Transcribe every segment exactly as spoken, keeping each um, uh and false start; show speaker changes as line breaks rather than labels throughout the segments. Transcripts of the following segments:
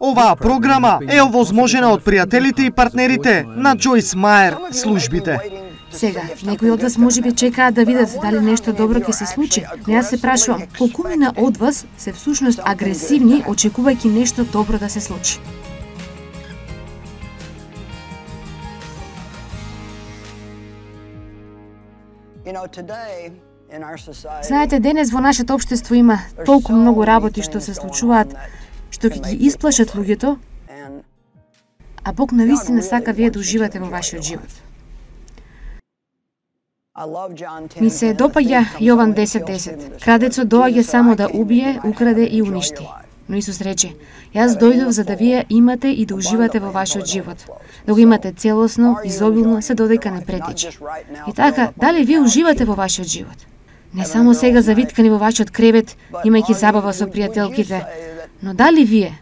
Оваа програма е овозможена од пријателите и партнерите на Джойс Мајер службите.
Сега, некои од вас можеби чекаат да видат дали нешто добро ќе се случи. Но јас се прашувам, колкумина од вас се всушност агресивни, очекувајќи нешто добро да се случи? Знаете, денес во нашето општество има толку многу работи што се случуваат, што ќе ги исплашат луѓето, а Бог навистина сака вие да уживате во вашиот живот. Ми се допаѓа Јован десет десет. Крадецот доаѓа само да убие, украде и уништи. Но Исус рече: јас дојдов за да вие имате и да уживате во вашиот живот. Да го имате целосно, изобилно, се додека не претече. И така, дали вие уживате во вашиот живот? Не само сега завиткани во вашиот кревет, имајќи забава со пријателките, но дали вие,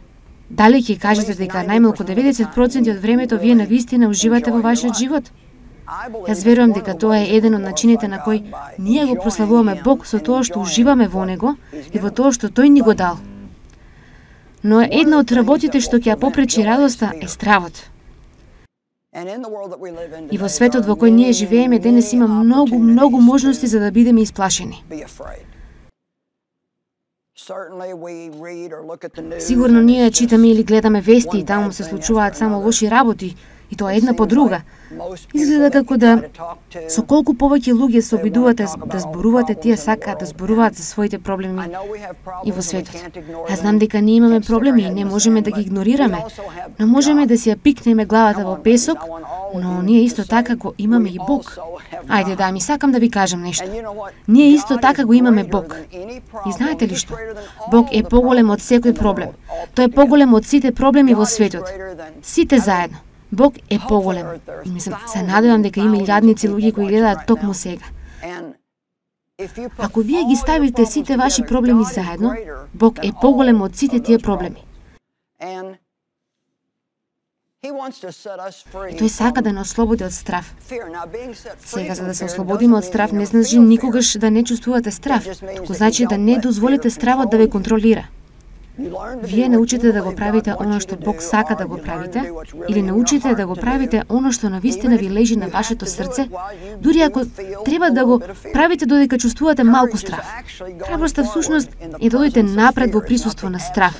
дали ќе кажете дека најмалку деветдесет проценти од времето вие навистина уживате во вашиот живот? Јас верувам дека тоа е еден од начините на кој ние го прославуваме Бог со тоа што уживаме во Него и во тоа што Тој ни го дал. Но една од работите што ќе ја попречи радоста е стравот. И во светот во кој ние живееме денес има многу, многу можности за да бидеме исплашени. Сигурно ние читаме или гледаме вести и таму се случуваат само лоши работи, и тоа една по друга. Изгледа како да со колку повеќе луѓе се обидувате да зборувате, тие сакаат да зборуваат за своите проблеми и во светот. Аз знам дека ние имаме проблеми и не можеме да ги игнорираме, но можеме да си ја пикнеме главата во песок, но ние исто така го имаме и Бог. Ајде да, ми сакам да ви кажам нешто. Ние исто така го имаме Бог. И знаете ли што? Бог е поголем од секој проблем. Тој е поголем од сите проблеми во светот. Сите заедно. Бог е поголем. И мислам, се надевам дека има илјадници луѓе кои гледаат токму сега. Ако вие ги ставите сите ваши проблеми заедно, Бог е поголем од сите тие проблеми. И тој сака да не ослободи од страв. Сега, за да се ослободиме од страв, не значи никогаш да не чувствувате страв, туку значи да не дозволите стравот да ве контролира. Вие научите да го правите оно што Бог сака да го правите, или научите да го правите оно што навистина ви лежи на вашето срце, дури ако треба да го правите додека чувствувате малку страв. Храброста всушност е да дојдете напред во присуство на страв.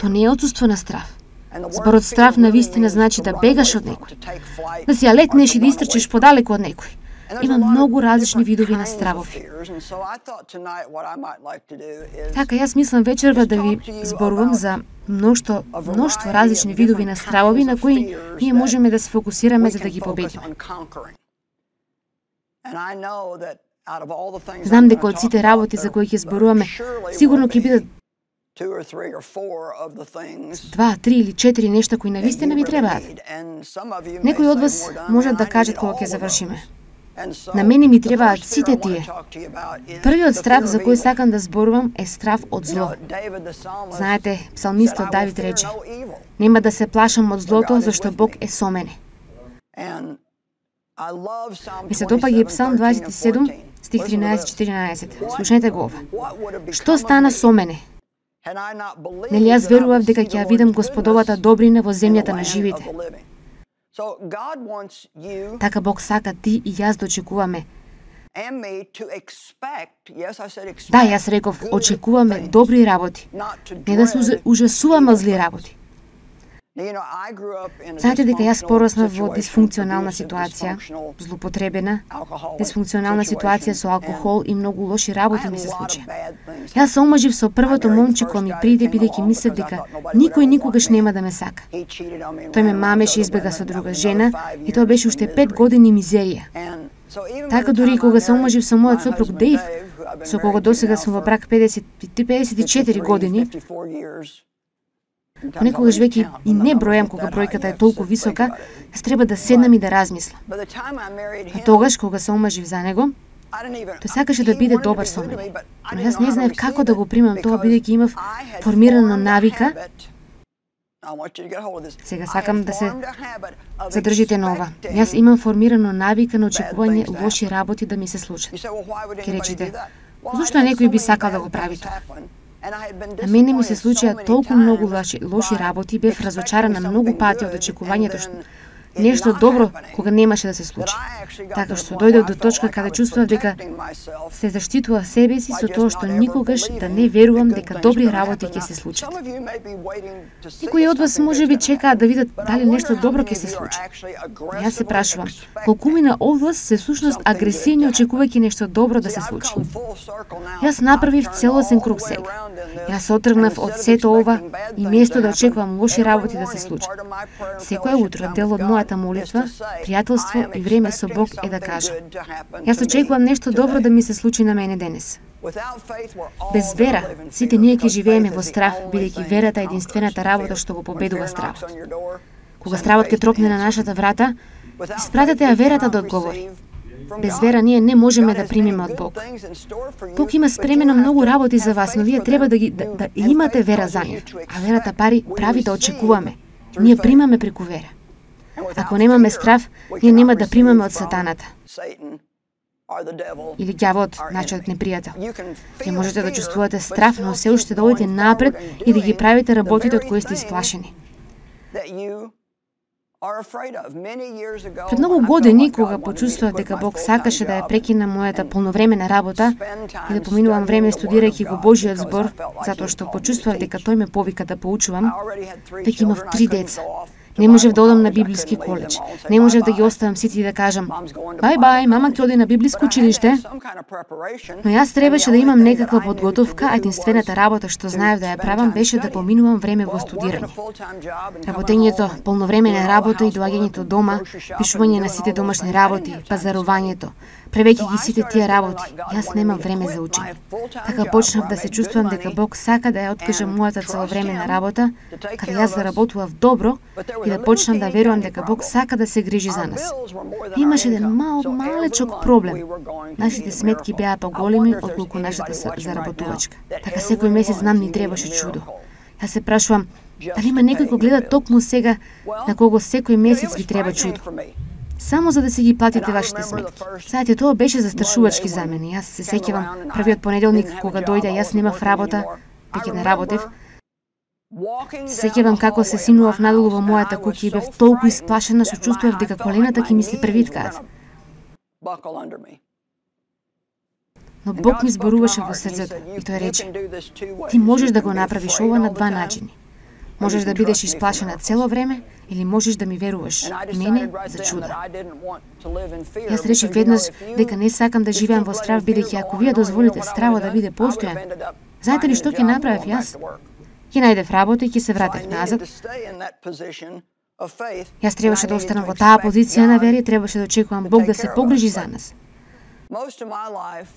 Тоа не е отсуство на страв. Зборот страв навистина значи да бегаш од некој, да си ја летнеш и да истрчеш подалеку од некој. Има многу различни видови на стравови. Така, јас мислам вечерва да ви зборувам за мношто, мноштво различни видови на стравови на кои ние можеме да се фокусираме за да ги победиме. Знам дека од сите работи за кои ќе зборуваме, сигурно ќе бидат два, три или четири нешта кои навистина ви требаат. Некои од вас можат да кажат кога ќе завршиме: на мене ми требаат сите тие. Првиот страв за кој сакам да зборувам е страв од зло. Знаете, псалмистот Давид рече: нема да се плашам од злото, зашто Бог е со мене. Ми се допаѓа и Псалм дваесет и седум, стих тринаесет четиринаесет. Слушнете го ова. Што стана со мене? Нели јас верував дека ќе ја видам Господовата добрина во земјата на живите. Така Бог сака ти и јас да очекуваме. Да, јас реков, очекуваме добри работи, не да се ужасуваме од зли работи. Знаете дека јас пораснав во дисфункционална ситуација, злоупотребена, дисфункционална ситуација со алкохол и многу лоши работи ми се случи. Јас се омажив со првото момче кој ми приде, бидејќи мислев дека никој никогаш нема да ме сака. Тој ме мамеше, избега со друга жена и тоа беше уште пет години мизерија. Така дури кога се омажив со мојот сопруг Дейв, со кого досега сум во брак педесет и три педесет и четири години, понекогаш веќе и не бројам кога бројката е толку висока, јас треба да седнам и да размислам. А тогаш, кога се омажив за него, тој сакаше да биде добар со мене. Но јас не знаев како да го примам тоа, бидејќи имав формирана навика. Сега сакам да се задржите на ова. Јас имам формирано навика на очекување лоши работи да ми се случат. Ке речите, зошто некој би сакал да го прави тоа? На мене ми се случија толку многу лоши, лоши работи, бев разочарана многу пати од очекувањето што нешто добро кога немаше да се случи. Така што дојдов до точка каде чувствував дека се заштитував себе си со тоа што никогаш да не верувам дека добри работи ќе се случат. Некои од вас можеби чекаат да видат дали нешто добро ќе се случи. Јас се прашувам, колкумина од вас се всушност агресивни очекувајќи нешто добро да се случи. Јас направив целосен круг сега. Јас отргнав од сето ова и место да очекувам лоши работи да се случат. Секој утро дел од мојата молитва, пријателство и време со Бог е да кажам: јас очекувам нешто добро да ми се случи на мене денес. Без вера, сите ние ќе живееме во страв, бидејќи верата е единствената работа што го победува стравот. Кога стравот ќе тропне на нашата врата, испратете ја верата да одговори. Без вера ние не можеме да примиме од Бог. Бог има спремено многу работи за вас, но вие треба да ги да, да имате вера за нив. А верата пари прави да очекуваме. Ние примаме преку вера. Ако немаме страв, ние нема да примаме од сатаната. Или ѓавот, нашиот непријател. Ќе можете да чувствувате страв, но се уште да одите напред и да ги правите работите од кои сте исплашени. Пред многу години, кога почувствував дека Бог сакаше да ја прекина мојата полновремена работа и да поминувам време студирајќи го Божиот збор, затоа што почувствував дека тој ме повика да поучувам, веќе имав три деца. Не можев да одам на библиски коледж. Не можев да ги оставам сите и да кажам: "Бај бај, мама ќе оди на библиско училиште." Но јас требаше да имам некаква подготовка, а единствената работа што знаев да ја правам беше да поминувам време во студирање. Работењето, полновремене работа и доаѓањето дома, пишување на сите домашни работи, пазарувањето, превеќе ги сите тие работи, јас немам време за учење. Така почнав да се чувствувам дека Бог сака да ја откаже мојата целовременна работа, каде јас заработував добро и да почнам да верувам дека Бог сака да се грижи за нас. Имаше еден мал, малечок проблем. Нашите сметки беа поголеми отколку нашата заработувачка. Така секој месец нам ни требаше чудо. Јас се прашувам, дали има некој кој гледа токму сега на кого секој месец ви треба чудо? Само за да се ги платите вашите сметки. Знаете, тоа беше застрашувачки за мене. Јас се сеќавам првиот понеделник кога дојде, јас немав работа, веќе не работев. Се сеќавам како се синував надолу во мојата куќа и бев толку исплашена што чувствував дека колената ќе ми се превиткаат. Но Бог ми зборуваше во срцето и тој рече: "Ти можеш да го направиш ова на два начини. Можеш да бидеш исплашена цело време или можеш да ми веруваш мене за чуда." Јас решив веднаш дека не сакам да живеам во страв, бидејќи ако вие дозволите стравот да биде постојан, знаете ли што ќе направев јас? Ќе најдев работа и ќе се вратев назад. Јас требаше да останам во таа позиција на вера и требаше да очекувам Бог да се погрижи за нас.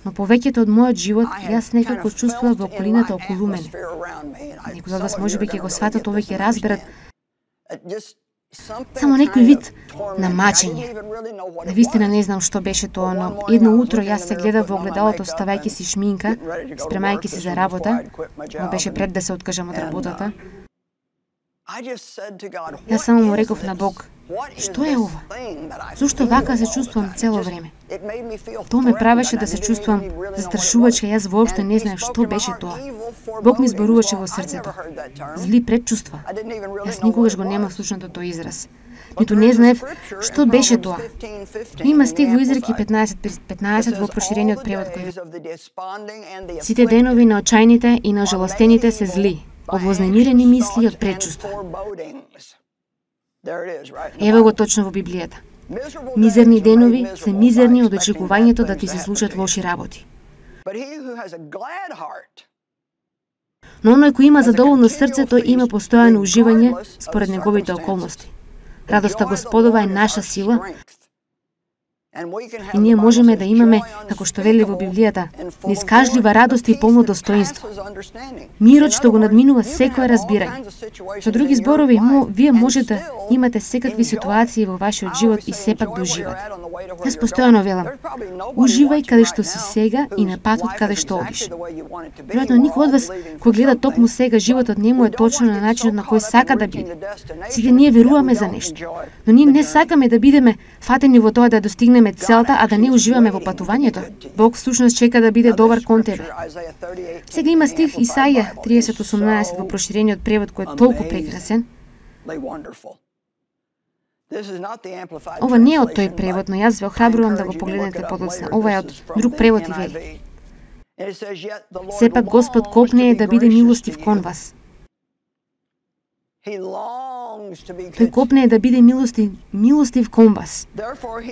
Но повеќето од мојот живот, јас некако чувствував во околината околу мене. Некој од вас можеби ќе го сватат ова и ќе разберат само некој вид на мачење. Навистина не знам што беше тоа, но едно утро јас се гледав во огледалото ставајќи си шминка, спремајќи се за работа, но беше пред да се откажам од работата. Јас само му реков на Бог: "Што е ова? Зошто вака се чувствувам цело време?" Тоа ме правеше да се чувствувам застрашувачка, јас воопшто не знаев што беше тоа. Бог ми зборуваше во срцето: "Зли предчувства." Јас никогаш го немав слушнато тој израз. Ниту не знаев што беше тоа. Има стих во Изреки петнаесет петнаесет во проширениот превод кој: "Сите денови на очајните и на жалостените се зли, од вознемирени мисли и од предчувства." Ево го точно во Библијата. Мизерни денови се мизерни од очекувањето да ти се случат лоши работи. Но оној кој има задоволно срце, тој има постојано уживање според неговите околности. Радоста Господова е наша сила и ние можеме да имаме, како што вели во Библијата, неискажлива радост и полно достоинство. Мирот што го надминува секое разбирање. Со други зборови, мо, вие можете да имате секакви ситуации во вашиот живот и сепак да уживате. Јас постојано велам: уживај каде што си сега и на патот каде што одиш. Веројатно никој од вас кој гледа токму сега животот не му е точно на начинот на кој сака да биде. Сите ние веруваме за нешто, но ние не сакаме да бидеме фатени во тоа да достигнеме постигнеме целта, а да не уживаме во патувањето. Бог всушност чека да биде добар кон тебе. Сега има стих Исаија триесет осумнаесет во проширениот превод кој е толку прекрасен. Ова не е од тој превод, но јас ве охрабрувам да го погледнете подоцна. Ова е од друг превод и вели: сепак Господ копнее да биде милостив кон вас. Тој копнее да биде милостив, милостив кон вас.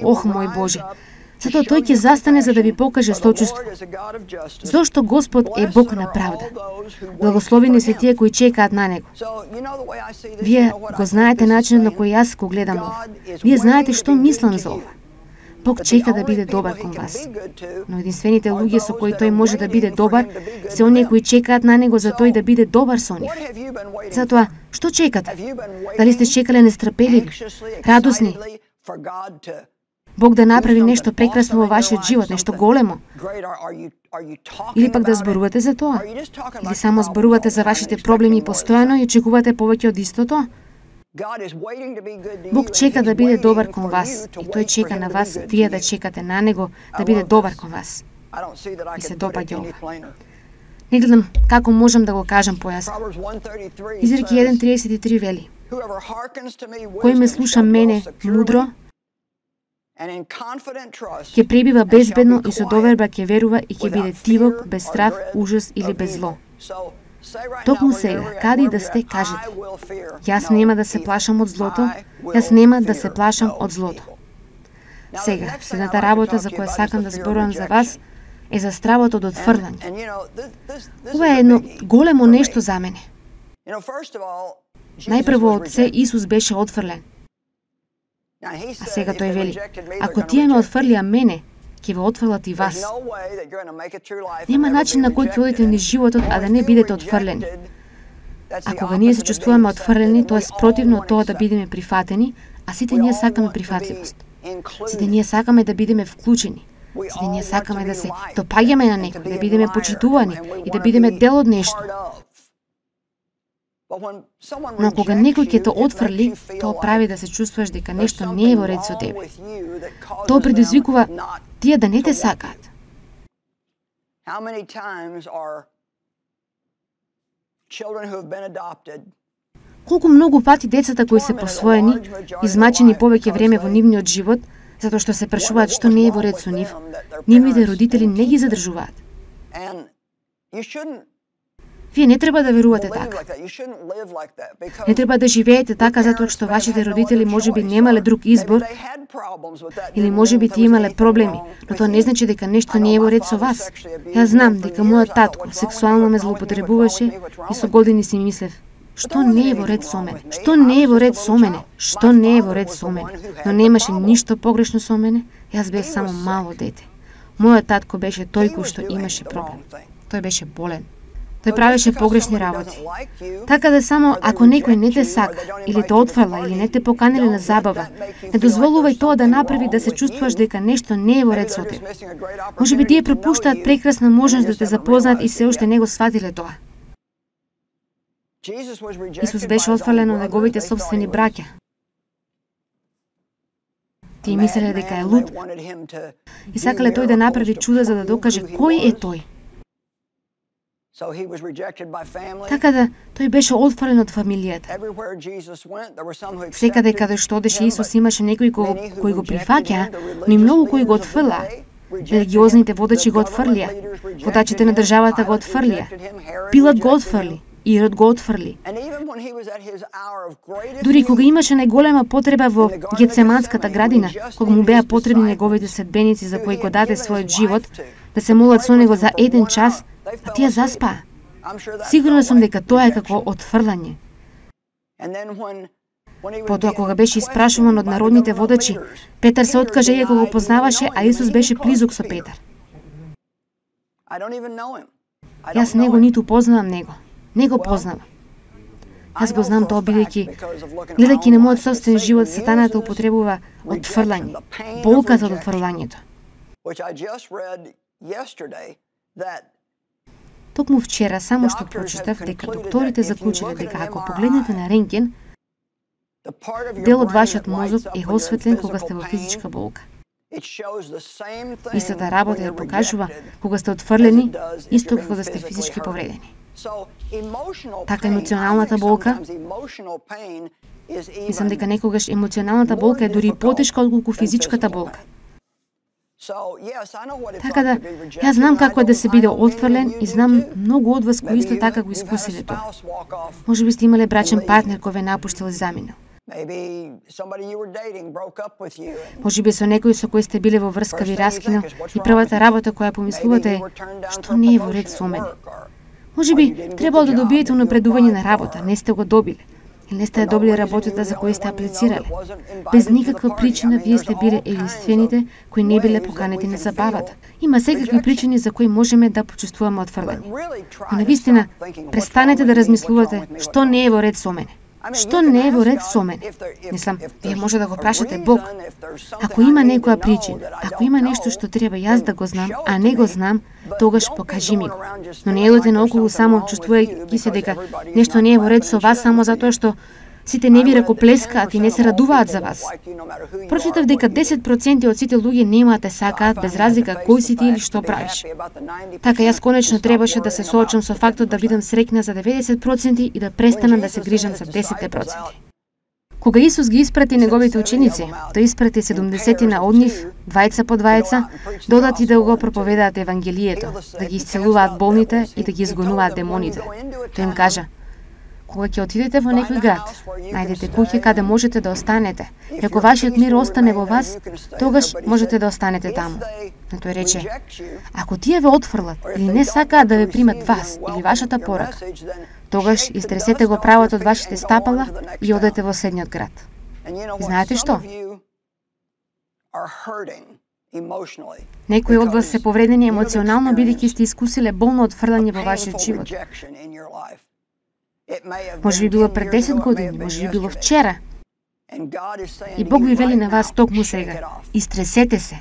Ох, мој Боже! Затоа тој ќе застане за да ви покаже сочувство. Зошто Господ е Бог на правда. Благословени се тие кои чекаат на Него. Вие го знаете начинот на кој јас го гледам ова. Вие знаете што мислам за ова. Бог чека да биде добар кон вас. Но единствените луѓе со кои тој може да биде добар се оние кои чекаат на Него за тој да биде добар со нив. Затоа, што чекате? Дали сте чекале нестрпеливи, радосни, Бог да направи нешто прекрасно во вашиот живот, нешто големо? Или пак да зборувате за тоа? Или само зборувате за вашите проблеми постојано и очекувате повеќе од истото? Бог чека да биде добар кон вас и тој чека на вас вие да чекате на Него да биде добар кон вас. И се допаѓа ова. Не гледам како можам да го кажам појасно. Изреки еден триесет и три вели: кој ме слуша мене мудро, ќе пребива безбедно и со доверба ќе верува и ќе биде тивок, без страв, ужас или без зло. Токму сега, каде и да сте, кажете: јас нема да се плашам од злото, јас нема да се плашам од злото. Сега, следната работа за која сакам да зборувам за вас е за стравот од отфрлање. Ова е едно големо нешто за мене. Најпрво од се Исус беше отфрлен. А сега тој вели: ако тие ме отфрлија мене, ќе ве отфрлат и вас. Нема начин на кој ќе одите низ животот, а да не бидете отфрлени. А кога ние се чувствуваме отфрлени, тоа е спротивно од тоа да бидеме прифатени, а сите ние сакаме прифатливост. Сите ние сакаме да бидеме вклучени. Сите ние сакаме да се допаѓаме на некој, да бидеме почитувани и да бидеме дел од нешто. Но кога некој ќе те отфрли, тоа прави да се чувствуваш дека нешто не е во ред со тебе. Тоа предизвикува тие да не те сакаат. Колку многу пати децата кои се посвоени, измачени повеќе време во нивниот живот, затоа што се прашуваат што не е во ред со нив, нивните родители не ги задржуваат. Вие не треба да верувате така. Не треба да живеете така затоа што вашите родители можеби немале друг избор или можеби ти имале проблеми, но тоа не значи дека нешто не е во ред со вас. Јас знам дека мојот татко сексуално ме злоупотребуваше и со години си мислев: што не е во ред со мене? Што не е во ред со мене? Што не е во ред со мене? Но немаше ништо погрешно со мене. Јас бев само мало дете. Мојот татко беше тој кој што имаше проблем. Тој беше болен. Тој правеше погрешни работи. Така да само ако некој не те сака, или те отфрла, или не те поканеле на забава, не дозволувај тоа да направи да се чувствуваш дека нешто не е во ред со тебе. Можеби тие пропуштаат прекрасна можност да те запознаат и се уште не го сватиле тоа. Исус беше отфрлен од неговите собствени браќа. Тие мислеле дека е луд и сакале тој да направи чуда за да докаже кој е тој. Така да, тој беше отфрлен од фамилијата. Секаде каде што одеше Исус имаше некои кој, кој го прифаќа, но и многу кои го отфрла. Религиозните водачи го отфрлија, водачите на државата го отфрлија, Пилат го отфрли, Ирод го отфрли. Дури кога имаше најголема потреба во Гетсеманската градина, кога му беа потребни неговите следбеници за кои го даде својот живот, да се молат со него за еден час, а тие заспаа. Сигурна сум дека тоа е како отфрлање. Потоа кога беше испрашуван од народните водачи, Петар се откаже иако го познаваше, а Исус беше близок со Петар. Јас него ниту познавам него. Не го познавам. Јас го знам тоа бидејќи, гледајќи на мојот собствен живот, сатаната употребува отфрлање, болката од отфрлањето. Токму вчера само што прочитав дека докторите заклучиле дека ако погледнете на рентген, дел од вашиот мозок е осветлен кога сте во физичка болка. Истата работа ја покажува кога сте отфрлени, исто како да сте физички повредени. Така емоционалната болка, мислам дека некогаш емоционалната болка е дури потешка отколку физичката болка. Така да, јас знам како е да се биде отфрлен и знам многу од вас кои исто така го искусиле тоа. Може би сте имале брачен партнер кој ве напуштил и заминал. Може би со некој со кој сте биле во врска ви раскинал и првата работа која помислувате е што не е во ред со мене. Може би требало да добиете унапредување на работа, не сте го добиле. Или не сте ја добили работата за која сте аплицирале. Без никаква причина вие сте биле единствените кои не биле поканети на забавата. Има секакви причини за кои можеме да почувствуваме отфрлени. Но навистина, престанете да размислувате што не е во ред со мене. Што не е во ред со мене? Мислам, вие може да го прашате Бог. Ако има некоја причина, ако има нешто што треба јас да го знам, а не го знам, тогаш покажи ми го. Но не едете наоколу само чувствувајќи се дека нешто не е во ред со вас само затоа што сите не ви ракоплескаат и не се радуваат за вас. Прочитав дека десет проценти од сите луѓе нема да те сакаат без разлика кој си ти или што правиш. Така јас конечно требаше да се соочам со фактот да бидам среќна за деветдесет проценти и да престанам да се грижам за десет проценти. Кога Исус ги испрати неговите ученици, тој испрати седумдесетина од нив, двајца по двајца, да одат и да го проповедаат евангелието, да ги исцелуваат болните и да ги изгонуваат демоните. Тој им кажа: кога ќе отидете во некој град, најдете куќа каде можете да останете. И ако вашиот мир остане во вас, тогаш можете да останете таму. Но тој рече: ако тие ве отфрлат или не сакаат да ве примат вас или вашата порака, тогаш истресете го правото од вашите стапала и одете во следниот град. И знаете што? Некои од вас се повредени емоционално бидејќи сте искусиле болно отфрлање во вашиот живот. Може би било пред десет години, може би било вчера. И Бог ви вели на вас токму сега: истресете се.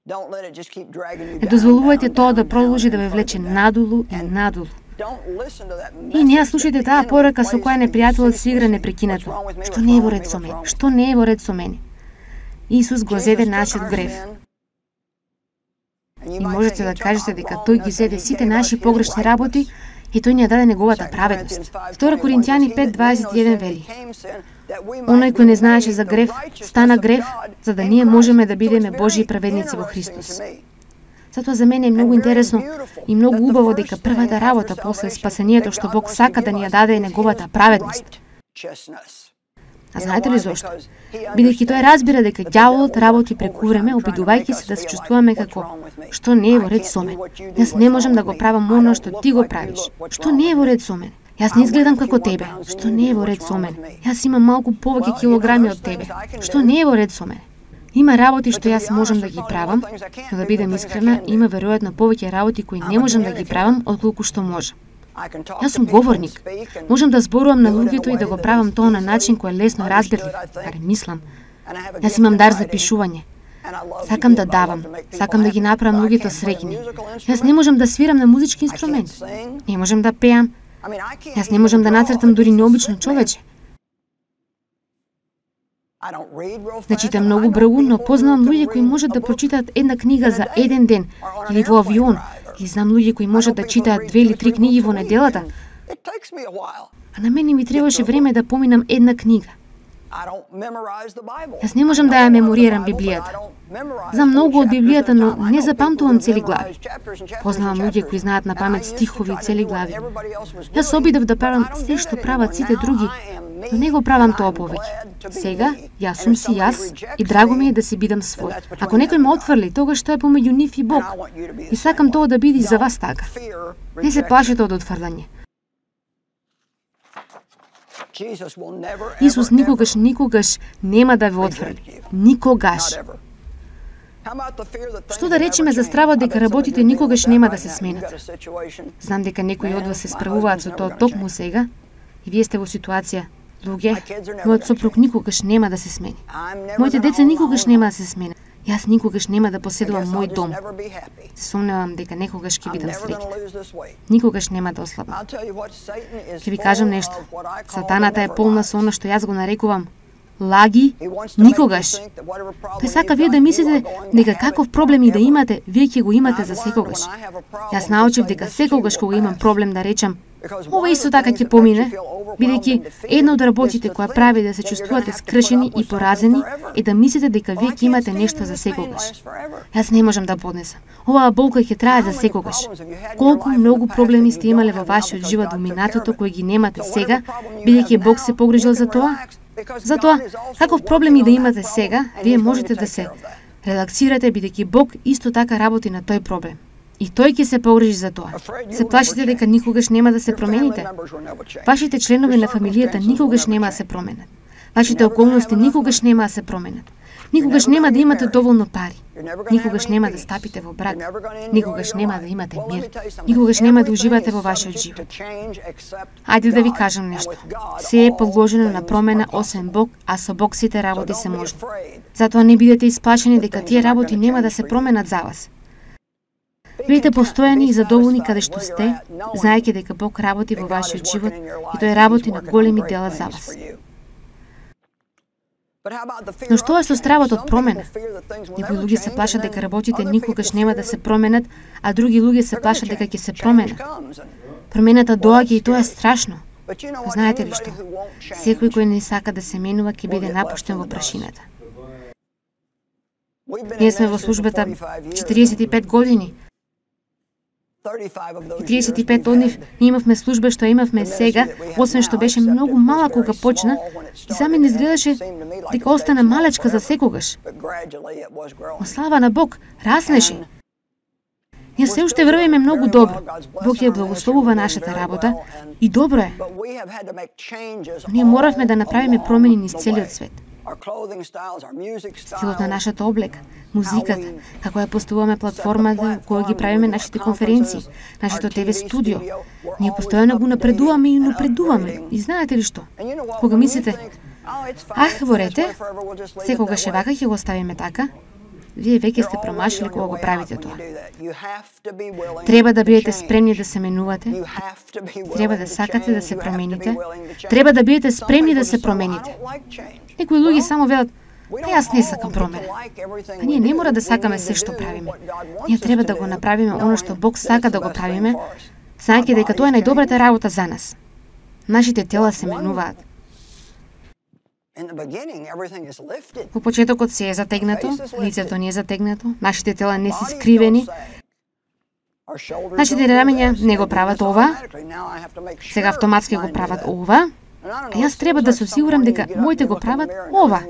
Не дозволувајте тоа да продолжи да ве влече надолу и надолу. И не ја слушајте таа порака со која непријателот се игра непрекинато. Што не е во ред со мене? Што не е во ред со мене? Исус го зеде нашиот грев. И можете да кажете дека тој ги зеде сите наши погрешни работи и тој ни ја даде неговата праведност. Втора Коринтијани пет дваесет и еден вели: оној кој не знаеше за грев, стана грев, за да ние можеме да бидеме Божји праведници во Христос. Затоа за мене е многу интересно и многу убаво дека првата работа после спасението што Бог сака да ни ја даде е неговата праведност. А знаете ли зошто? Бидејќи тој разбира дека ѓаволот работи преку време, обидувајќи се да се чувствуваме како што не е во ред со мене. Јас не можам да го правам оно што ти го правиш. Што не е во ред со мене? Јас не изгледам како тебе. Што не е во ред со мене? Јас имам малку повеќе килограми од тебе. Што не е во ред со мене? Има работи што јас можам да ги правам, но да бидам искрена, има веројатно повеќе работи кои не можам да ги правам отколку што можам. Јас сум говорник. Можам да зборувам на луѓето и да го правам тоа на начин кој е лесно разбирлив, барем мислам. Јас имам дар за пишување. Сакам да давам, сакам да ги направам луѓето среќни. Јас не можам да свирам на музички инструмент. Не можам да пеам. Јас не можам да нацртам дури необично човече. Не читам многу брзо, но познавам луѓе кои можат да прочитаат една книга за еден ден или во авион. И знам луѓе кои можат да читаат две или три книги во неделата. А на мене ми требаше време да поминам една книга. Јас не можам да ја меморирам Библијата. Знам многу од Библијата, но не запамтувам цели глави. Познавам луѓе кои знаат на памет стихови и цели глави. Јас обидов да правам се што прават сите други, но не го правам тоа повеќе. Сега, јас сум си јас и драго ми е да си бидам свој. Ако некој ме отфрли, тогаш тоа е помеѓу нив и Бог. И сакам тоа да биде и за вас така. Не се плашете од отфрлање. Исус никогаш, никогаш нема да ве отфрли. Никогаш. Што да речеме за стравот дека работите никогаш нема да се сменат? Знам дека некои од вас се справуваат со тоа токму сега и вие сте во ситуација: луѓе, мојот сопруг никогаш нема да се смени. Моите деца никогаш нема да се сменат. Јас никогаш нема да поседувам мој дом. Се сомневам дека некогаш ќе бидам среќна. Никогаш нема да ослабам. Ќе ви кажам нешто. Сатаната е полна со она што јас го нарекувам лаги, никогаш. Тој сака вие да мислите дека каков проблем и да имате, вие ќе го имате за секогаш. Јас научив дека секогаш кога имам проблем да речам, ова исто така ќе помине, бидејќи една од работите која прави да се чувствувате скршени и поразени е да мислите дека вие ќе имате нешто за секогаш. Јас не можам да поднесам. Оваа болка ќе трае за секогаш. Колку многу проблеми сте имале во вашиот живот во минатото кои ги немате сега, бидејќи Бог се погрижил за тоа? Затоа, каков проблем и да имате сега, вие можете да се релаксирате бидејќи Бог исто така работи на тој проблем. И тој ќе се погрижи за тоа. Се плашите дека никогаш нема да се промените? Вашите членови на фамилијата никогаш нема да се променат. Вашите околности никогаш нема да се променат. Никогаш нема да имате доволно пари. Никогаш нема да стапите во брак. Никогаш нема да имате мир. Никогаш нема да уживате во вашиот живот. Ајде да ви кажам нешто. Се е подложено на промена освен Бог, а со Бог сите работи се можни. Затоа не бидете исплашени дека тие работи нема да се променат за вас. Бидете постојани и задоволни каде што сте, знаејќи дека Бог работи во вашиот живот и тој работи на големи дела за вас. Но што е со стравот од промена? Некои луѓе се плашат дека работите никогаш нема да се променат, а други луѓе се плашат дека ќе се променат. Промената доаѓа и тоа е страшно. Знаете ли што? Секој кој не сака да се менува ќе биде напуштен во прашината. Ние сме во службата четириесет и пет години. И триесет и пет од нив ние имавме служба што имавме сега, освен што беше многу мала кога почна, и за мене изгледаше дека остана малечка за секогаш. Но слава на Бог, раснеше. Ние се уште врвиме многу добро. Бог ја благословува нашата работа и добро е. Но ние моравме да направиме промени низ целиот свет. Стилот на нашата облека, музиката, како ја поставуваме платформата која ги правиме нашите конференции, нашето Т В студио. Ние постојано го напредуваме и напредуваме. И знаете ли што? Кога мислите, ах, во рете, секогаш е вака ќе го оставиме така, вие веќе сте промашили кога го правите тоа. Треба да бидете спремни да се менувате, треба да сакате да се промените, треба да бидете спремни да се промените. Некои луѓе само велат, па јас не сакам промена. А ние не мора да сакаме се што правиме. Ние треба да го направиме оно што Бог сака да го правиме, знаејќи дека тоа е најдобрата работа за нас. Нашите тела се менуваат. Во почетокот се е затегнато, лицето не е затегнато, нашите тела не се скривени, нашите рамења не го прават ова, сега автоматски го прават ова, а јас треба да се осигурам дека моите го прават ова.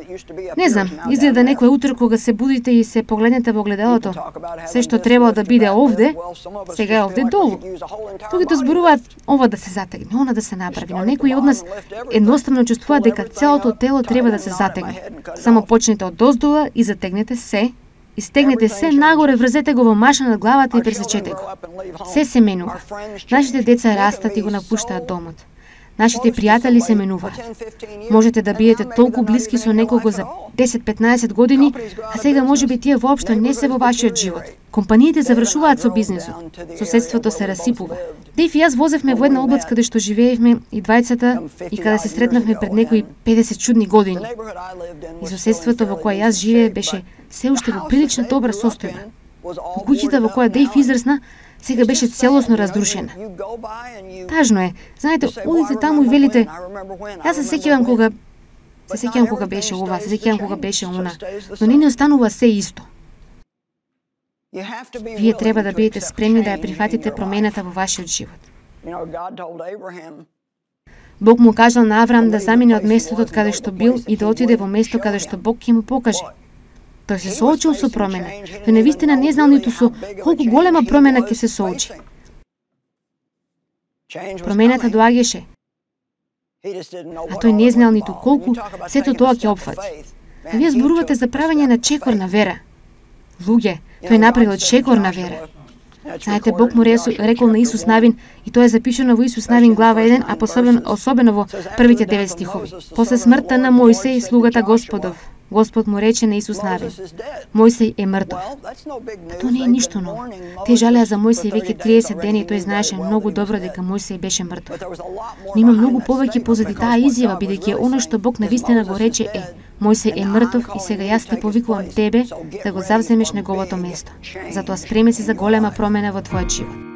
Не знам, изгледа некој утро кога се будите и се погледнете во огледалото, се што требало да биде овде, сега е овде долу. Другите зборуваат ова да се затегне, она да се направи, но некои од нас едноставно чувствуваат дека целото тело треба да се затегне. Само почнете од доздола и затегнете се, и стегнете се нагоре, врзете го во маша над главата и пресечете го. Се се менува. Нашите деца растат и го напуштаат домот. Нашите пријатели се менуваат. Можете да бидете толку блиски со некого за десет-петнаесет години, а сега можеби тие воопшто не се во вашиот живот. Компаниите завршуваат со бизнисот. Соседството се расипува. Дејв и јас возевме во една област каде што живеевме и двајцата и каде се сретнавме пред некои педесет чудни години. И соседството во кое јас живее беше се уште во прилично добра состојба. Во куќата во која Дејв израсна, сега беше целосно разрушена. Тажно е. Знаете, одите таму и велите, јас се сеќавам кога се сеќавам кога беше ова, се сеќавам кога беше она, но не ни останува се исто. Вие треба да бидете спремни да ја прифатите промената во вашиот живот. Бог му кажал на Авраам да замине од местото од каде што бил и да отиде во место каде што Бог ќе му покаже. Тој се соочил со промена. Тој навистина не знал ниту со колку голема промена ќе се соочи. Промената доаѓаше, а тој не знал ниту колку сето тоа ќе опфати. А вие зборувате за правење на чекор на вера. Луѓе, тој направил чекор на вера. Знаете, Бог му рекол на Исус Навин, и тоа е запишано во Исус Навин глава еден, а посебно, особено во првите девет стихови. После смртта на Мојсеј, слугата Господов, Господ му рече на Исус Навин: Мојсей е мртов. Тоа не е ништо ново. Те жалеа за Мојсей веќе триесет дена и тој знаеше многу добро дека Мојсей беше мртов. Но има многу повеќе позади таа изјава, бидејќи оно што Бог навистина го рече е: Мојсей е мртов и сега јас те повикувам тебе да го завземеш неговото место. Затоа спреми се за голема промена во твојот живот.